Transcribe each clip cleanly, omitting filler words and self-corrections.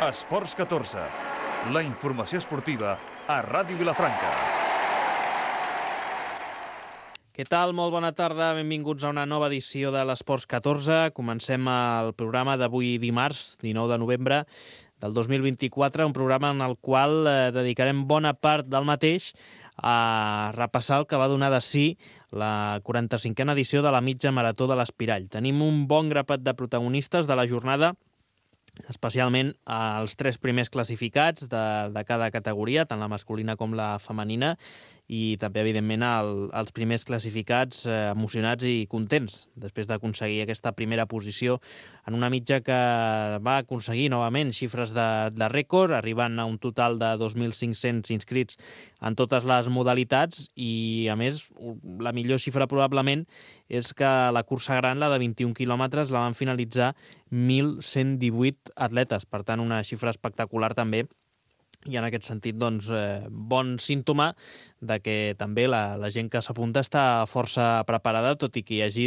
Esports 14, la informació esportiva a Ràdio Vilafranca. Què tal? Molt bona tarda, benvinguts a una nova edició de l'Esports 14. Comencem el programa d'avui dimarts, 19 de novembre del 2024, un programa en el qual dedicarem bona part del mateix a repassar el que va donar de si la 45a edició de la mitja marató de l'Espirall. Tenim un bon grapat de protagonistes de la jornada, especialment els 3 primers classificats de cada categoria, tant la masculina com la femenina, i també, evidentment, els primers classificats emocionats i contents després d'aconseguir aquesta primera posició en una mitja que va aconseguir novament xifres de rècord, arribant a un total de 2.500 inscrits en totes les modalitats i, a més, la millor xifra probablement és que la cursa gran, la de 21 quilòmetres, la van finalitzar 1.118 atletes. Per tant, una xifra espectacular també. I en aquest sentit, doncs, bon símptoma de que també la gent que s'apunta està força preparada, tot i que hi hagi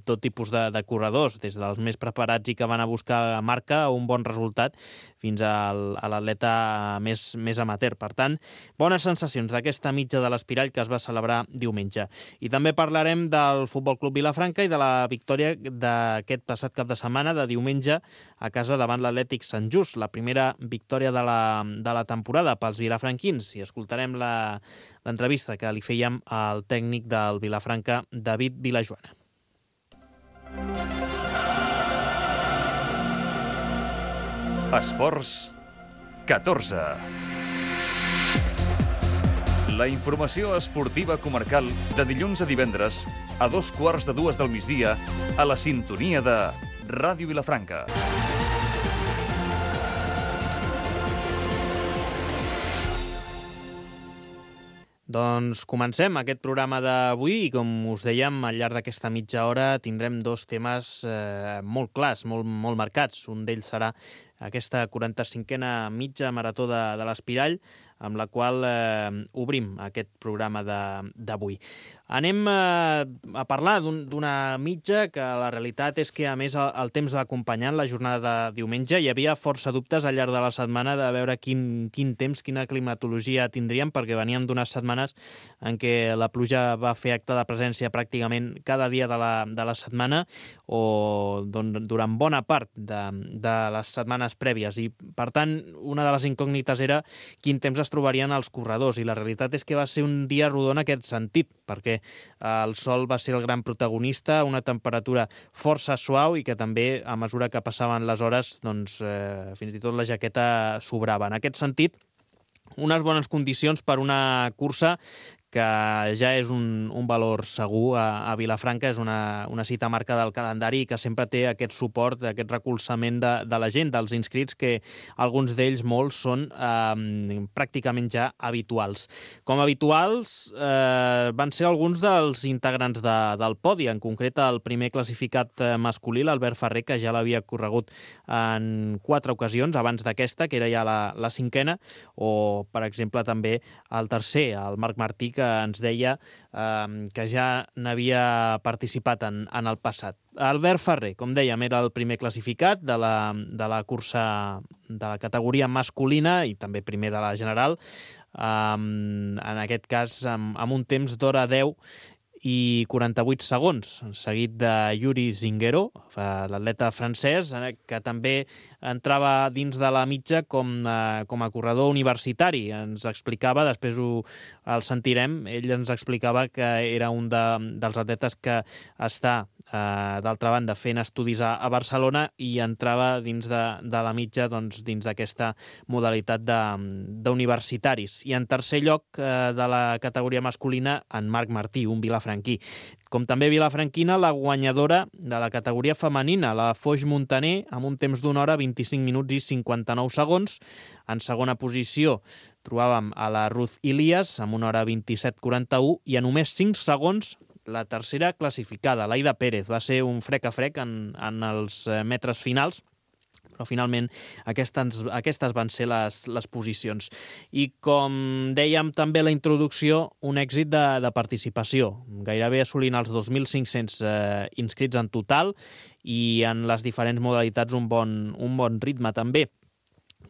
tot tipus de corredors, des dels més preparats i que van a buscar marca un bon resultat fins a l'atleta més amateur. Per tant, bones sensacions d'aquesta mitja de l'Espirall que es va celebrar diumenge. I també parlarem del Futbol Club Vilafranca i de la victòria d'aquest passat cap de setmana, de diumenge, a casa davant l'Atlètic Sant Just, la primera victòria de la temporada pels vilafranquins, i escoltarem l'entrevista que li fèiem al tècnic del Vilafranca, David Vilajoana. Esports 14. La informació esportiva comarcal de dilluns a divendres a 2:15 del migdia a la sintonia de Ràdio Vilafranca. Doncs comencem aquest programa d'avui i, com us dèiem, al llarg d'aquesta mitja hora tindrem 2 temes molt clars, molt marcats. Un d'ells serà aquesta 45a mitja marató de l'Espirall, amb la qual obrim aquest programa d'avui. Anem a parlar d'una mitja que la realitat és que, a més, el temps va acompanyant la jornada de diumenge. Hi havia força dubtes al llarg de la setmana de veure quin temps, quina climatologia tindríem, perquè veníem d'unes setmanes en què la pluja va fer acte de presència pràcticament cada dia de la setmana o durant bona part de les setmanes prèvies. I, per tant, una de les incògnites era quin temps es trobarien els corredors, i la realitat és que va ser un dia rodó en aquest sentit, perquè el sol va ser el gran protagonista, una temperatura força suau i que també, a mesura que passaven les hores, doncs, fins i tot la jaqueta sobrava. En aquest sentit, unes bones condicions per una cursa que ja és un valor segur a Vilafranca, és una cita marca del calendari i que sempre té aquest suport, aquest recolzament de la gent, dels inscrits, que alguns d'ells, molts, són pràcticament ja habituals. Com habituals van ser alguns dels integrants del podi, en concret el primer classificat masculí, l'Albert Ferrer, que ja l'havia corregut en 4 ocasions abans d'aquesta, que era ja la 5a, o, per exemple, també el tercer, el Marc Martí, que ens deia que ja n'havia participat en el passat. Albert Ferrer, com dèiem, era el primer classificat de la cursa de la categoria masculina i també primer de la general, en aquest cas amb un temps d'hora 10 i 48 segons, seguit de Yuri Zinguero, l'atleta francès, que també entrava dins de la mitja com a corredor universitari. Ens explicava, després el sentirem, ell ens explicava que era un dels atletes que està, d'altra banda, fent estudis a Barcelona i entrava dins de la mitja, doncs, dins d'aquesta modalitat d'universitaris. I en tercer lloc de la categoria masculina, en Marc Martí, un vilafranquí. Com també vilafranquina, la guanyadora de la categoria femenina, la Foix Montaner, amb un temps d'una hora, 25 minuts i 59 segons. En segona posició trobàvem a la Ruth Ilias, amb una hora 27:41, i a només 5 segons la tercera classificada, l'Aida Pérez. Va ser un frec a frec en els metres finals, però finalment aquestes van ser les posicions. I com dèiem també a la introducció, un èxit de participació, gairebé assolint els 2.500 inscrits en total i en les diferents modalitats un bon ritme també.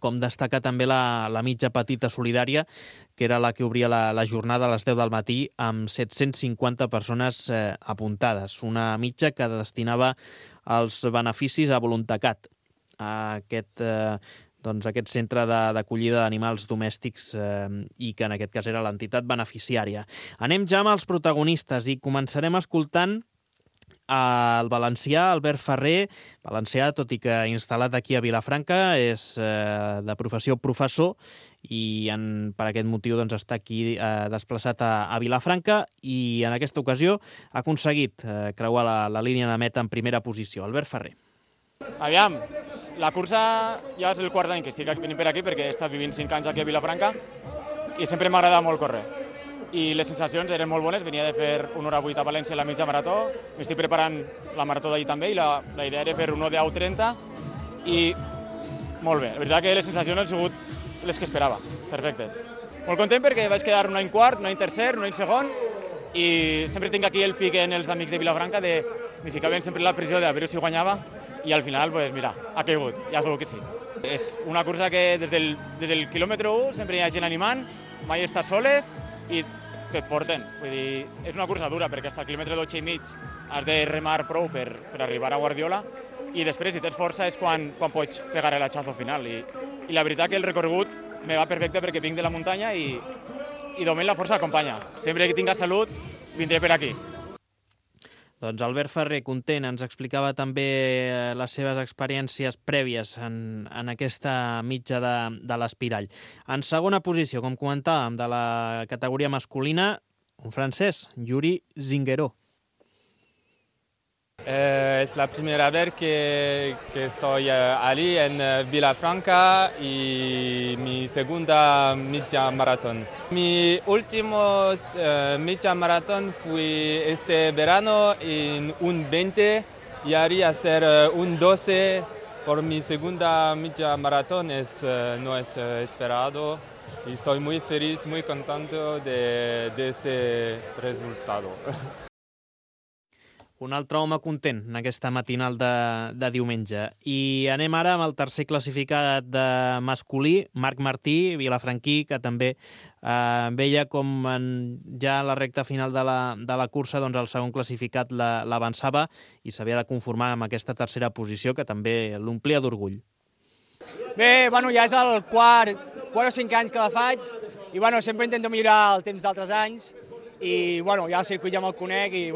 com destacar també la mitja petita solidària, que era la que obria la jornada a les 10 del matí amb 750 persones apuntades. Una mitja que destinava els beneficis a Voluntacat, a aquest centre d'acollida d'animals domèstics i que en aquest cas era l'entitat beneficiària. Anem ja amb els protagonistes i començarem escoltant el valencià Albert Ferrer, valencià, tot i que instal·lat aquí a Vilafranca, és de professió professor i per aquest motiu està aquí desplaçat a Vilafranca i en aquesta ocasió ha aconseguit creuar la línia de meta en primera posició. Albert Ferrer. Aviam, la cursa ja és el quart any que estic venint per aquí perquè he estat vivint 5 anys aquí a Vilafranca i sempre m'ha agradat molt córrer. I les sensacions eren molt bones, venia de fer 1h08 a València a la mitja marató, m'estic preparant la marató d'ahir també i la idea era fer 1 de 10:30 i molt bé, la veritat que les sensacions han sigut les que esperava, perfectes. Molt content perquè vaig quedar un any quart, un any tercer, un any segon i sempre tinc aquí el pic en els amics de Vilafranca me ficaven sempre la pressió de a veure si guanyava i al final, pues mira, ha caigut, ja sabeu que sí. És una cursa que des del quilòmetre 1 sempre hi ha gent animant, mai estàs soles i et porten. Vull dir, és una cursa dura perquè fins al quilòmetre 12 i mig has de remar prou per arribar a Guardiola i després, si tens força, és quan pots pegar el hachazo final. I la veritat que el recorregut me va perfecte perquè vinc de la muntanya i de moment la força acompanya. Sempre que tinga salut, vindré per aquí. Doncs Albert Ferrer, content, ens explicava també les seves experiències prèvies en aquesta mitja de l'Espirall. En segona posició, com comentàvem, de la categoria masculina, un francès, Yuri Zingueró. Es la primera vez que soy allí en Vilafranca y mi segunda media maratón. Mi último media maratón fue este verano en un 20 y haría hacer un 12 por mi segunda media maratón. No es esperado y soy muy feliz, muy contento de este resultado. Un altre home content en aquesta matinal de diumenge. I anem ara amb el tercer classificat de masculí, Marc Martí, vilafranquí, que també veia com ja a la recta final de la cursa el segon classificat l'avançava i s'havia de conformar amb aquesta tercera posició que també l'omplia d'orgull. Bé, ja és el quart o 5 anys que la faig i sempre intento millorar el temps d'altres anys i ja el circuit ja me'l conec i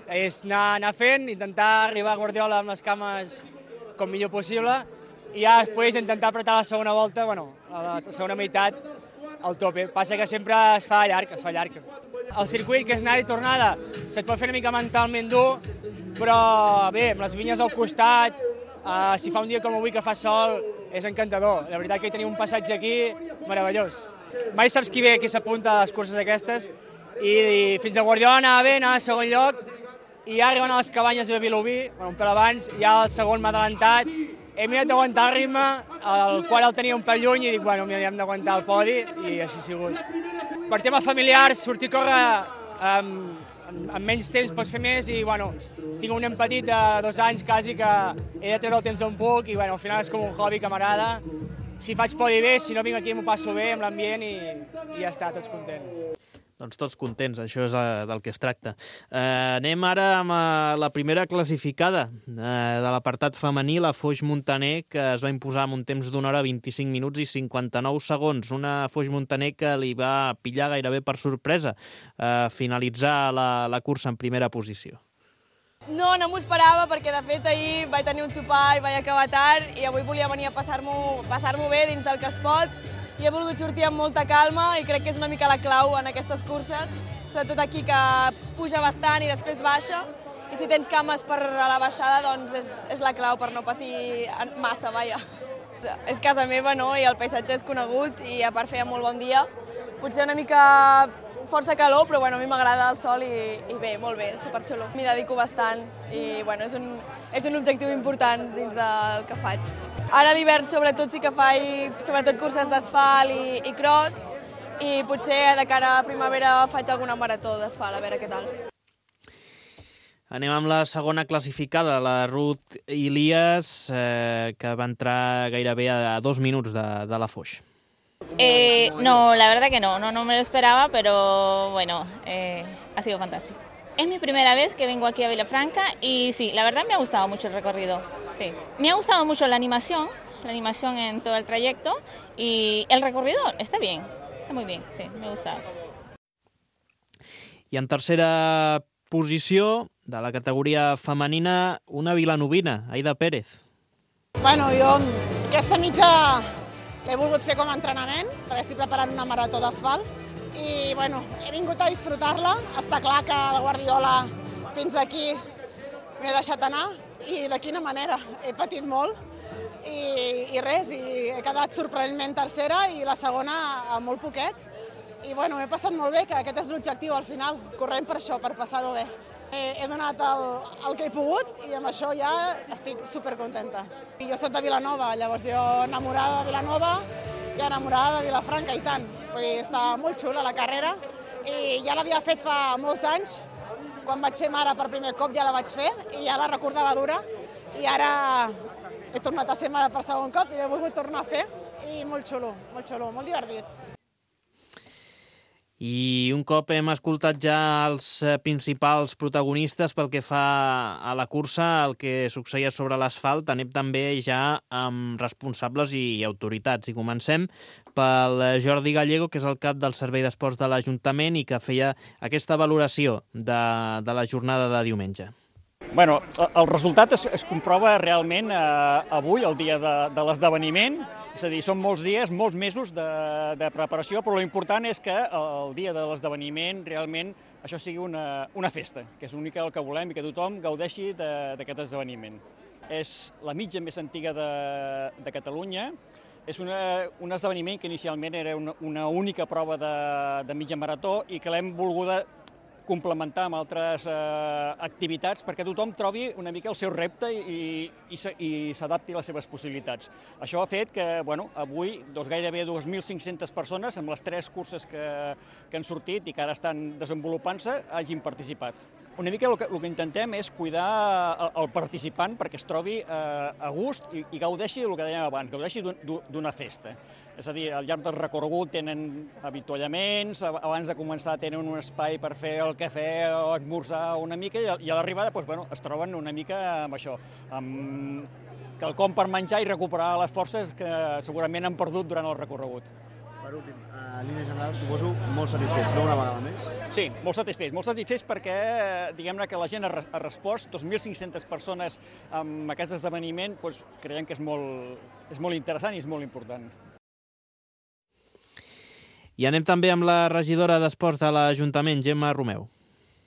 és anar fent, intentar arribar a Guardiola amb les cames com millor possible i ja després intentar apretar la segona volta, a la segona meitat al tope. Passa que sempre es fa llarg. El circuit, que és anada i tornada, se't pot fer una mica mentalment dur, però bé, amb les vinyes al costat, si fa un dia com avui que fa sol, és encantador. La veritat que hi teniu un passatge aquí meravellós. Mai saps qui ve, qui s'apunta a les curses aquestes, i fins a Guardiola anava bé, anava a segon lloc, i ja arribant a les cabanyes de Vilobí, un pel abans, ja el segon m'ha adelantat, he mirat d'aguantar el ritme, el qual el tenia un pèl lluny i dic, hem d'aguantar el podi, i així ha sigut. Per tema familiar, sortir a córrer amb menys temps pots fer més i tinc un nen petit de 2 anys quasi que he de treure el temps on puc i al final és com un hobby que m'agrada. Si faig podi bé, si no vinc aquí m'ho passo bé amb l'ambient i ja està, tots contents. Doncs tots contents, això és del que es tracta. Anem ara amb la primera classificada de l'apartat femení, la Foix Montaner, que es va imposar amb un temps d'1 hora 25 minuts i 59 segons. Una Foix Montaner que li va pillar gairebé per sorpresa finalitzar la cursa en primera posició. No m'ho esperava perquè de fet ahir vaig tenir un sopar i vaig acabar tard i avui volia venir a passar-m'ho bé dins del que es pot. I he volgut sortir amb molta calma i crec que és una mica la clau en aquestes curses, sobretot aquí que puja bastant i després baixa, i si tens cames per a la baixada doncs és la clau per no patir massa, vaja. És casa meva, no?, i el paisatge és conegut i a part feia molt bon dia. Potser una mica força calor, però a mi m'agrada el sol i bé, molt bé, superxulo. M'hi dedico bastant i és un objectiu important dins del que faig. Ara a l'hivern sobretot sí que faig curses d'asfalt i cross i potser de cara a primavera faig alguna marató d'asfalt, a veure què tal. Anem amb la segona classificada, la Ruth Ilias, que va entrar gairebé a 2 minuts de la Foix. No, la verdad que no me lo esperaba, pero bueno, ha sido fantástico. Es mi primera vez que vengo aquí a Vilafranca y sí, la verdad me ha gustado mucho el recorrido. Sí. Me ha gustado mucho la animación en todo el trayecto y el recorrido está bien, está muy bien, sí, me ha gustado. I en tercera posició de la categoria femenina, una vilanovina, Aida Pérez. Bueno, jo aquesta mitja l'he volgut fer com a entrenament, perquè estic preparant una marató d'asfalt i bueno, he vingut a disfrutar-la. Està clar que la Guardiola fins aquí m'he deixat anar i de quina manera. He patit molt i res, i he quedat sorprenentment tercera i la segona a molt poquet. I bueno, m'he passat molt bé, que aquest és l'objectiu al final, corrent per això, per passar-ho bé. He donat el que he pogut i amb això ja estic supercontenta. Jo soc de Vilanova, llavors jo enamorada de Vilanova i enamorada de Vilafranca i tant. Està molt xula la carrera i ja l'havia fet fa molts anys. Quan vaig ser mare per primer cop ja la vaig fer i ja la recordava dura i ara he tornat a ser mare per segon cop i l'he volgut tornar a fer i molt xulo, molt divertit. I un cop hem escoltat ja els principals protagonistes pel que fa a la cursa, el que succeïa sobre l'asfalt, anem també ja amb responsables i autoritats. I comencem pel Jordi Gallego, que és el cap del Servei d'Esports de l'Ajuntament i que feia aquesta valoració de la jornada de diumenge. Bueno, el resultat es comprova realment avui, el dia de l'esdeveniment. És a dir, són molts dies, molts mesos de preparació, però l'important és que el dia de l'esdeveniment realment això sigui una festa, que és l'únic el que volem i que tothom gaudeixi d'aquest esdeveniment. És la mitja més antiga de Catalunya. És un esdeveniment que inicialment era una única prova de mitja marató i que l'hem volguda complementar amb altres activitats perquè tothom trobi una mica el seu repte i s'adapti a les seves possibilitats. Això ha fet que avui gairebé 2.500 persones amb les 3 curses que han sortit i que ara estan desenvolupant-se hagin participat. Una mica el que intentem és cuidar el participant perquè es trobi a gust i gaudeixi del que dèiem abans, gaudeixi d'una festa. És a dir, al llarg del recorregut tenen avituallaments, abans de començar tenen un espai per fer el cafè o esmorzar una mica i a l'arribada es troben una mica amb això, amb quelcom per menjar i recuperar les forces que segurament han perdut durant el recorregut. Per últim, en línia general, suposo molt satisfets, no una vegada més? Sí, molt satisfets perquè diguem-ne que la gent ha respost, 2.500 persones amb aquest esdeveniment, creiem que és molt interessant i és molt important. I anem també amb la regidora d'Esports de l'Ajuntament, Gemma Romeu.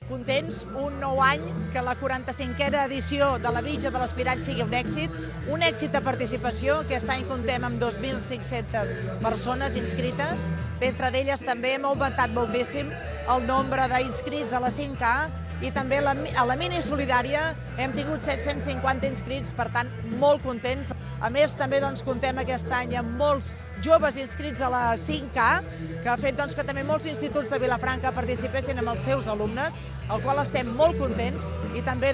Contents, un nou any, que la 45a edició de la Mitja de l'Aspirant sigui un èxit de participació. Aquest any comptem amb 2.500 persones inscrites. D'entre d'elles també hem augmentat moltíssim el nombre d'inscrits a la 5K i també a la mini solidària hem tingut 750 inscrits, per tant, molt contents. A més, també comptem aquest any amb molts joves inscrits a la 5K, que ha fet que també molts instituts de Vilafranca participessin amb els seus alumnes, al qual estem molt contents, i també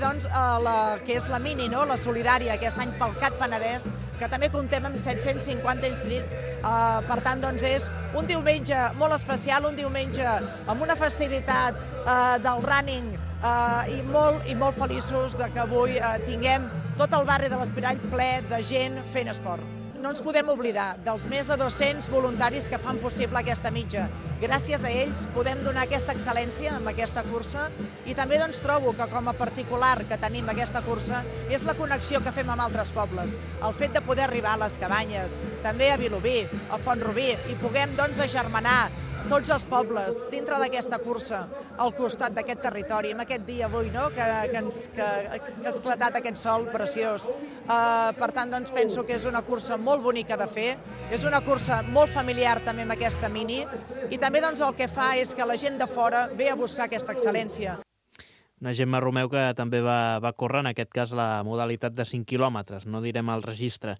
que és la mini, la solidària, aquest any pel CAT Penedès, que també comptem amb 750 inscrits. Per tant, és un diumenge molt especial, un diumenge amb una festivitat del running i molt feliços que avui tinguem tot el barri de l'Aspirall ple de gent fent esport. No ens podem oblidar dels més de 200 voluntaris que fan possible aquesta mitja. Gràcies a ells podem donar aquesta excel·lència amb aquesta cursa i també trobo que com a particular que tenim aquesta cursa és la connexió que fem amb altres pobles. El fet de poder arribar a les Cabanyes, també a Vilobí, a Font-rubí i puguem agermanar tots els pobles dintre d'aquesta cursa al costat d'aquest territori, en aquest dia avui, que ha esclatat aquest sol preciós. Per tant, penso que és una cursa molt bonica de fer, és una cursa molt familiar també amb aquesta mini i també el que fa és que la gent de fora ve a buscar aquesta excel·lència. Una Gemma Romeu que també va córrer, en aquest cas, la modalitat de 5 quilòmetres, no direm el registre.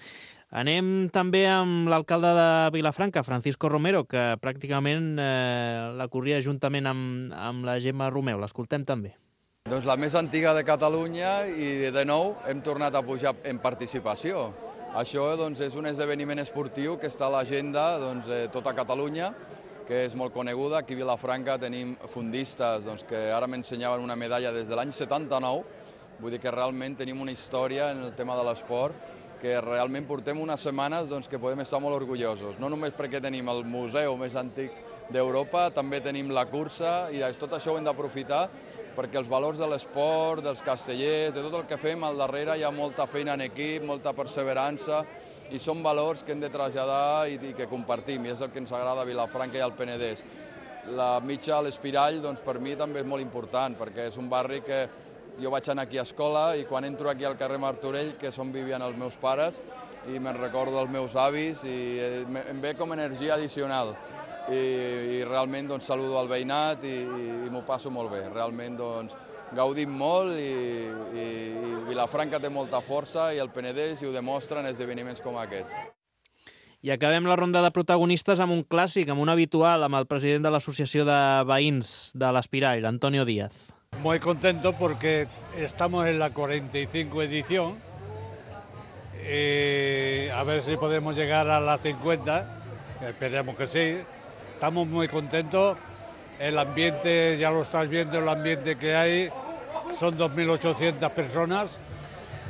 Anem també amb l'alcalde de Vilafranca, Francisco Romero, que pràcticament la corria juntament amb la Gemma Romeu. L'escoltem també. Doncs la més antiga de Catalunya i de nou hem tornat a pujar en participació. Això és un esdeveniment esportiu que està a l'agenda de tota Catalunya, que és molt coneguda. Aquí a Vilafranca tenim fundistes que ara m'ensenyaven una medalla des de l'any 79, vull dir que realment tenim una història en el tema de l'esport que realment portem unes setmanes que podem estar molt orgullosos. No només perquè tenim el museu més antic d'Europa, també tenim la cursa i tot això ho hem d'aprofitar perquè els valors de l'esport, dels castellers, de tot el que fem, al darrere hi ha molta feina en equip, molta perseverança i són valors que hem de traslladar i que compartim i és el que ens agrada a Vilafranca i al Penedès. La mitja a l'Espirall per mi també és molt important perquè és un barri que jo vaig anar aquí a escola i quan entro aquí al carrer Martorell, que és on vivien els meus pares, i me'n recordo dels meus avis i em ve com energia addicional. I realment saludo al veïnat i m'ho passo molt bé. Realment gaudim molt i Vilafranca té molta força i el Penedès i ho demostra en esdeveniments com aquests. I acabem la ronda de protagonistes amb un clàssic, amb un habitual, amb el president de l'Associació de Veïns de l'Espirall, Antonio Díaz. Muy contento porque estamos en la 45 edición. A ver si podemos llegar a la 50, esperemos que sí. Estamos muy contentos, el ambiente, ya lo estás viendo, el ambiente que hay, son 2.800 personas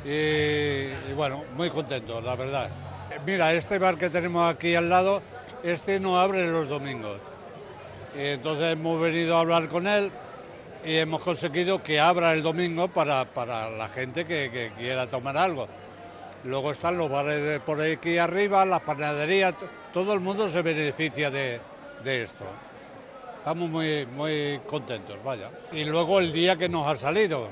y bueno, muy contentos, la verdad. Mira, este bar que tenemos aquí al lado, no abre los domingos. Y entonces hemos venido a hablar con él y hemos conseguido que abra el domingo para la gente que quiera tomar algo. Luego están los bares por aquí arriba, las panaderías, todo el mundo se beneficia de esto. Estamos muy contentos, vaya. Y luego el día que nos ha salido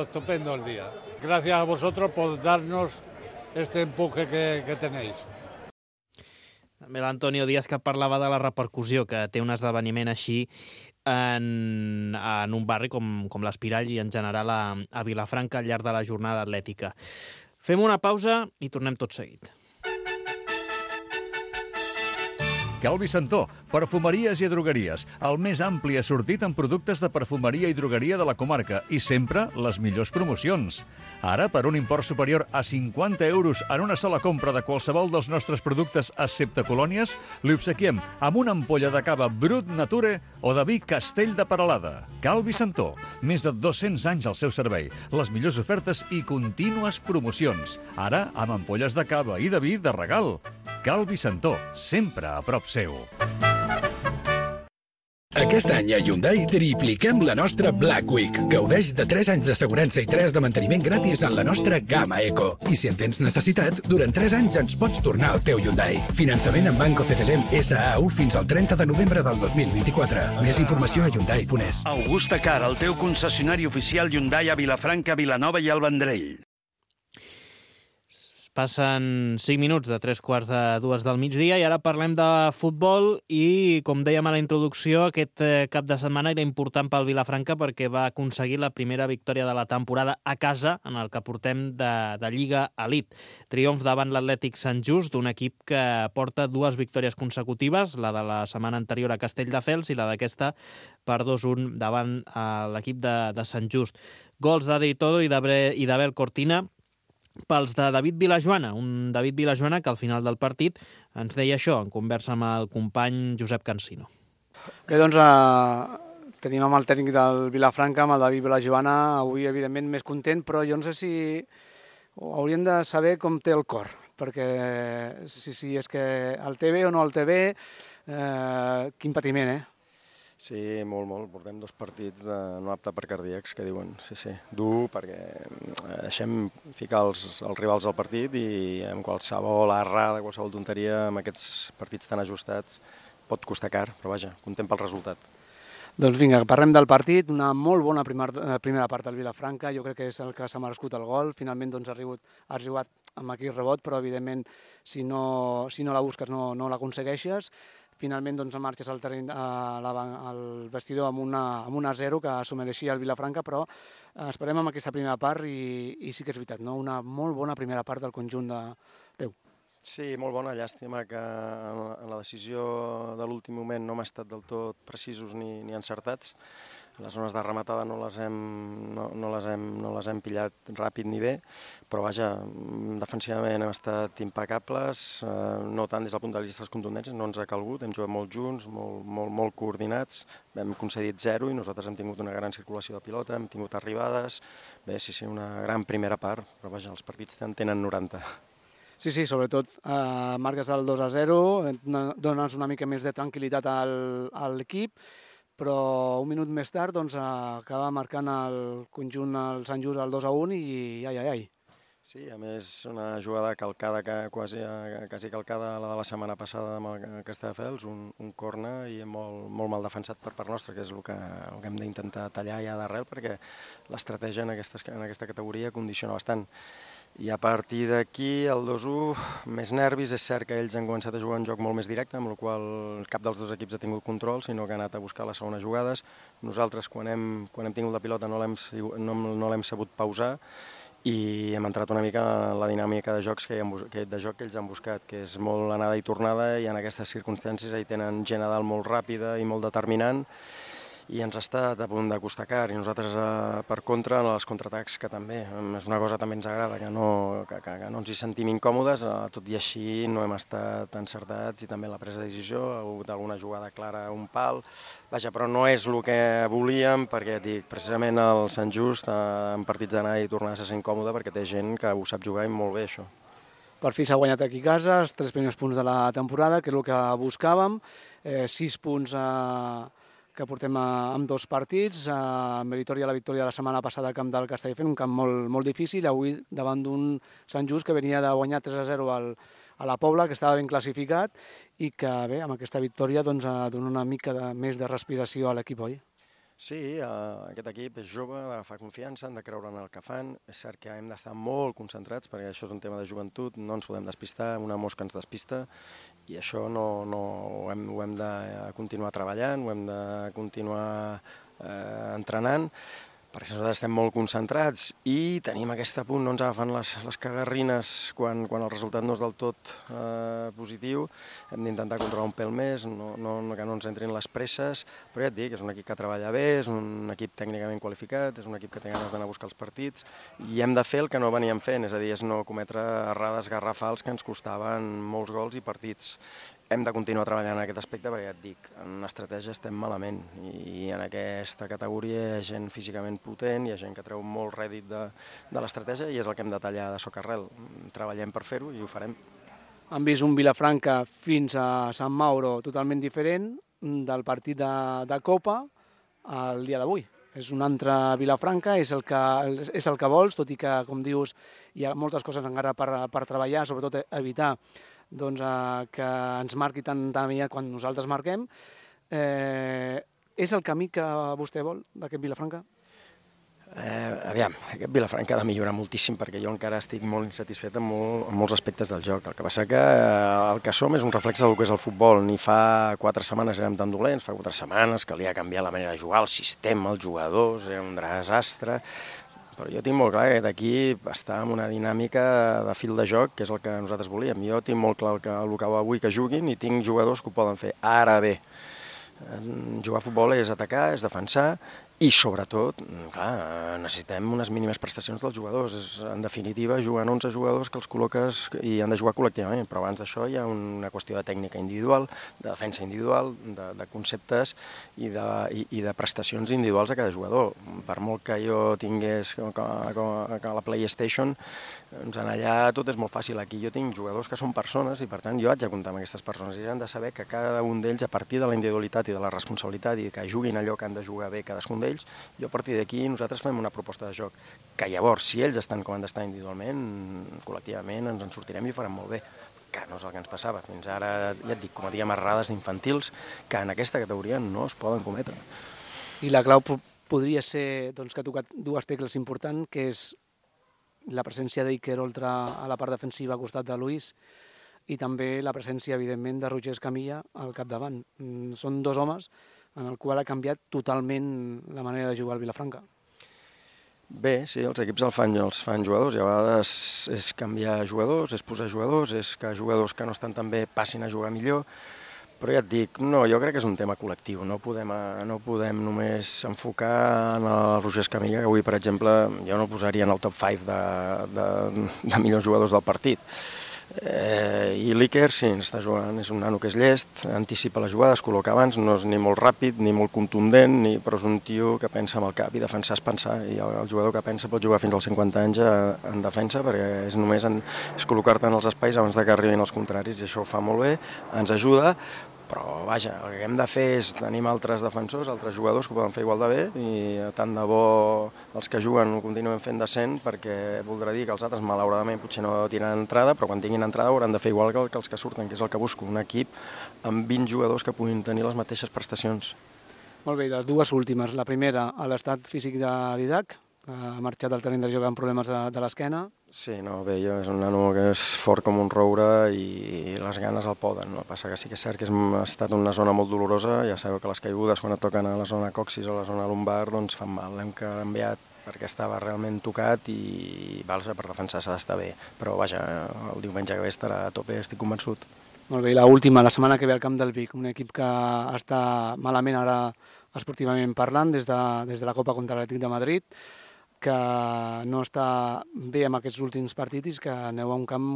estupendo el día. Gracias a vosotros por darnos este empuje que tenéis. També l'Antonio Díaz, que parlava de la repercussió que té un esdeveniment així en un barri com l'Espirall i en general a Vilafranca al llarg de la jornada atlètica. Fem una pausa i tornem tot seguit. Calvi Santó, perfumeries i drogueries, el més ampli assortit en productes de perfumeria i drogueria de la comarca i sempre les millors promocions. Ara, per un import superior a 50 euros en una sola compra de qualsevol dels nostres productes excepte colònies, li obsequiem amb una ampolla de cava Brut Nature o de vi Castell de Peralada. Calvi Santó, més de 200 anys al seu servei, les millors ofertes i contínues promocions. Ara, amb ampolles de cava i de vi de regal. Calvi Santó, sempre a prop seu. Aquest any a Hyundai tripliquem la nostra Black Week. Gaudeix de 3 anys d'assegurança i 3 de manteniment gratis en la nostra gamma Eco. I si en tens necessitat, durant 3 anys ens pots tornar al teu Hyundai. Finançament en Banco CTLM SAU fins al 30 de novembre del 2024. Més informació a Hyundai.es. Augusta Car, el teu concessionari oficial Hyundai a Vilafranca, Vilanova i el Vendrell. Passen 5 minuts de 3:45 del migdia i ara parlem de futbol i, com dèiem a la introducció, aquest cap de setmana era important pel Vilafranca perquè va aconseguir la primera victòria de la temporada a casa en el que portem de Lliga Elite. Triomf davant l'Atlètic Sant Just, d'un equip que porta 2 victòries consecutives, la de la setmana anterior a Castelldefels i la d'aquesta per 2-1 davant l'equip de Sant Just. Gols d'Adri Todo i d'Abel Cortina pels de David Vilajoana, un David Vilajoana que al final del partit ens deia això, en conversa amb el company Josep Cansino. Bé, doncs tenim amb el tècnic del Vilafranca, amb el David Vilajoana, avui evidentment més content, però jo no sé si hauríem de saber com té el cor, perquè si és que el té bé o no el té bé, quin patiment, Sí, molt. Portem 2 partits no apte per cardíacs, que diuen, sí, dur, perquè deixem ficar els rivals al partit i amb qualsevol errada, qualsevol tonteria, amb aquests partits tan ajustats, pot costar car, però vaja, content pel resultat. Doncs vinga, parlem del partit, una molt bona primera part del Vilafranca, jo crec que és el que s'ha merescut el gol, finalment doncs, ha arribat amb aquí el rebot, però evidentment si no la busques no l'aconsegueixes. Finalment doncs, marxes al terreny, al vestidor amb una 0 que s'ho mereixia el Vilafranca, però esperem amb aquesta primera part i sí que és veritat, no? Una molt bona primera part del conjunt teu. Sí, molt bona, llàstima que en la decisió de l'últim moment no hem estat del tot precisos ni encertats. Les zones de rematada no les hem pillat ràpid ni bé, però vaja, defensivament hem estat impecables, no tant des del punt de vista dels contundències, no ens ha calgut, hem jugat molt junts, molt coordinats, hem concedit 0 i nosaltres hem tingut una gran circulació de pilota, hem tingut arribades, bé, sí, una gran primera part, però vaja, els partits en tenen 90. Sí, sobretot marques el 2-0, dones una mica més de tranquil·litat a l'equip, però un minut més tard acaba marcant el conjunt el Sant Just el 2-1 i ai. Sí, a més una jugada calcada, quasi calcada la de la setmana passada amb Castelldefels, un corner i molt mal defensat per part nostra, que és el que hem d'intentar tallar ja d'arrel, perquè l'estratègia en aquesta categoria condiciona bastant. I a partir d'aquí, el 2-1, més nervis, és cert que ells han començat a jugar un joc molt més directe, amb el qual cap dels dos equips ha tingut control, sinó que ha anat a buscar les segones jugades. Nosaltres, quan hem tingut la pilota, no l'hem sabut pausar, i hem entrat una mica en la dinàmica de joc que ells han buscat, que és molt anada i tornada, i en aquestes circumstàncies hi tenen gent a dalt molt ràpida i molt determinant, i ens ha estat a punt de costar car, i nosaltres, per contra, en els contraatacs, que també és una cosa que també ens agrada, que no ens hi sentim incòmodes, tot i així no hem estat encertats, i també la presa de decisió, ha hagut alguna jugada clara, un pal, vaja, però no és el que volíem, perquè dic, precisament el Sant Just, en partits d'anar i tornar, se sent còmode, perquè té gent que ho sap jugar i molt bé, això. Per fi s'ha guanyat aquí a casa, els 3 primers punts de la temporada, que és el que buscàvem, 6 punts que portem amb 2 partits, meritòria la victòria de la setmana passada al camp del Castelldefels, un camp molt difícil, avui davant d'un Sant Just que venia de guanyar 3-0 a la Pobla, que estava ben classificat, i que bé, amb aquesta victòria dona una mica més de respiració a l'equip, oi? Sí, aquest equip és jove, fa confiança, han de creure en el que fan. És cert que hem d'estar molt concentrats, perquè això és un tema de joventut, no ens podem despistar, una mosca ens despista, i això ho hem de continuar treballant, ho hem de continuar entrenant, perquè nosaltres estem molt concentrats i tenim aquest punt, no ens agafen les cagarrines quan el resultat no és del tot positiu. Hem d'intentar controlar un pèl més, que no ens entrin les presses, però ja et dic, és un equip que treballa bé, és un equip tècnicament qualificat, és un equip que té ganes d'anar a buscar els partits, i hem de fer el que no veníem fent, és a dir, és no cometre errades garrafals que ens costaven molts gols i partits. Hem de continuar treballant en aquest aspecte, perquè ja et dic, en estratègia estem malament, i en aquesta categoria hi ha gent físicament potent, hi ha gent que treu molt rèdit de l'estratègia, i és el que hem de tallar de socarrel. Treballem per fer-ho i ho farem. Han vist un Vilafranca fins a Sant Mauro totalment diferent del partit de Copa al dia d'avui. És un altre Vilafranca, és el que vols, tot i que, com dius, hi ha moltes coses encara per treballar, sobretot evitar que ens marqui tan aviat quan nosaltres marquem. És el camí que vostè vol d'aquest Vilafranca? Aviam, aquest Vilafranca ha de millorar moltíssim, perquè jo encara estic molt insatisfet amb molts aspectes del joc. El que passa que el que som és un reflex del que és el futbol. Ni fa 4 setmanes érem tan dolents, fa 4 setmanes calia canviar la manera de jugar, el sistema, els jugadors, era un desastre. Però jo tinc molt clar que d'aquí està en una dinàmica de fil de joc, que és el que nosaltres volíem. Jo tinc molt clar el que avui que juguin, i tinc jugadors que ho poden fer. Ara bé, jugar a futbol és atacar, és defensar, i sobretot, clar, necessitem unes mínimes prestacions dels jugadors. En definitiva, juguen 11 jugadors que els col·loques i han de jugar col·lectivament, però abans d'això hi ha una qüestió de tècnica individual, de defensa individual, de conceptes i de prestacions individuals a cada jugador. Per molt que jo tingués que la PlayStation, doncs allà tot és molt fàcil. Aquí jo tinc jugadors que són persones, i per tant jo haig de comptar amb aquestes persones, i han de saber que cada un d'ells, a partir de la individualitat i de la responsabilitat, i que juguin allò que han de jugar bé cadascun d'ells, i a partir d'aquí nosaltres fem una proposta de joc, que llavors, si ells estan com han d'estar individualment, col·lectivament ens en sortirem i ho farem molt bé, que no és el que ens passava. Fins ara, ja et dic, cometíem errades infantils que en aquesta categoria no es poden cometre. I la clau podria ser, que ha tocat 2 tecles importants, que és la presència d'Iker Oltra a la part defensiva al costat de Luis, i també la presència, evidentment, de Roger Escamilla al capdavant. Són 2 homes en el qual ha canviat totalment la manera de jugar al Vilafranca. Bé, sí, els equips els fan jugadors, i a vegades és canviar jugadors, és posar jugadors, és que jugadors que no estan tan bé passin a jugar millor, Però ja et dic, no, jo crec que és un tema col·lectiu, no podem només enfocar en el Roger Escamilla, que avui, per exemple, jo no el posaria en el top 5 de millors jugadors del partit. I l'Iker, sí, està jugant, és un nano que és llest, anticipa la jugada, es col·loca abans, no és ni molt ràpid, ni molt contundent, però és un tio que pensa amb el cap, i defensar és pensar, i el jugador que pensa pot jugar fins als 50 anys en defensa, perquè és només col·locar-te en els espais abans que arribin els contraris, i això ho fa molt bé, ens ajuda, però vaja, el que hem de fer és tenir altres defensors, altres jugadors que ho poden fer igual de bé, i tant de bo els que juguen ho continuen fent decent, perquè voldrà dir que els altres malauradament potser no tiraran entrada, però quan tinguin entrada hauran de fer igual que els que surten, que és el que busco, un equip amb 20 jugadors que puguin tenir les mateixes prestacions. Molt bé, les dues últimes. La primera, a l'estat físic de Didac, que ha marxat al terreny de joc amb problemes de l'esquena. Sí, no, bé, és un nano que és fort com un roure i les ganes el poden. No? Passa que sí que és cert que ha estat una zona molt dolorosa, ja sabeu que les caigudes quan et toquen a la zona coxis o a la zona lumbar doncs fan mal. L'hem canviat perquè estava realment tocat i per defensar s'ha d'estar bé. Però vaja, el diumenge que ve estarà a tope, estic convençut. Molt bé, i l'última, la setmana que ve al camp del Vic, un equip que està malament ara esportivament parlant des de la Copa contra l'Atlètic de Madrid, que no està bé en aquests últims partits, que aneu a un camp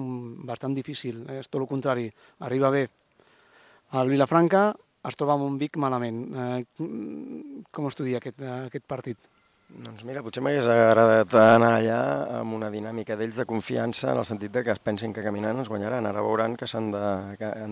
bastant difícil. És tot el contrari. Arriba bé al Vilafranca, es troba amb un Vic malament. Com estudia aquest partit? Doncs mira, potser m'hagués agradat anar allà amb una dinàmica d'ells de confiança, en el sentit que es pensin que caminant ens guanyaran. Ara veuran que han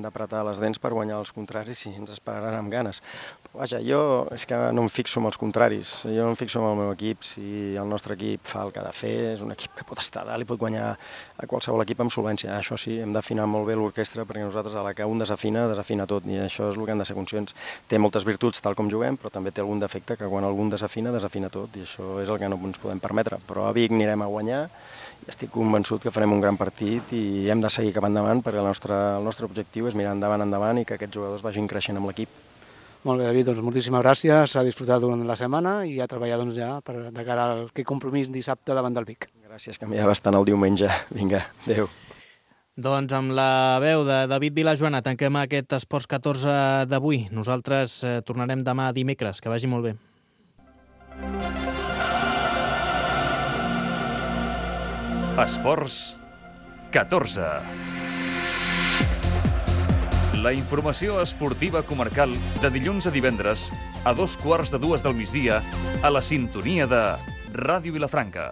d'apretar les dents per guanyar els contraris i ens esperaran amb ganes. Però vaja, jo és que no em fixo en els contraris, jo em fixo en el meu equip. Si el nostre equip fa el que ha de fer, és un equip que pot estar dalt i pot guanyar a qualsevol equip amb solvència. Això sí, hem d'afinar molt bé l'orquestra, perquè nosaltres a la que un desafina tot, i això és el que hem de ser conscients. Té moltes virtuts tal com juguem, però també té algun defecte que quan algun desafina tot, i això és el que no ens podem permetre. Però a Vic anirem a guanyar i estic convençut que farem un gran partit i hem de seguir cap endavant, perquè el nostre objectiu és mirar endavant i que aquests jugadors vagin creixent amb l'equip. Molt bé, David, doncs moltíssimes gràcies, s'ha disfrutat durant la setmana i a treballar ja de cara a aquest compromís dissabte davant del Vic. Gràcies, que m'hi ha bastant el diumenge. Vinga, adéu. Doncs amb la veu de David Vilajoana tanquem aquest Esports 14 d'avui. Nosaltres tornarem demà dimecres. Que vagi molt bé. Esports 14. La informació esportiva comarcal de dilluns a divendres a 2:15 del migdia a la sintonia de Ràdio Vilafranca.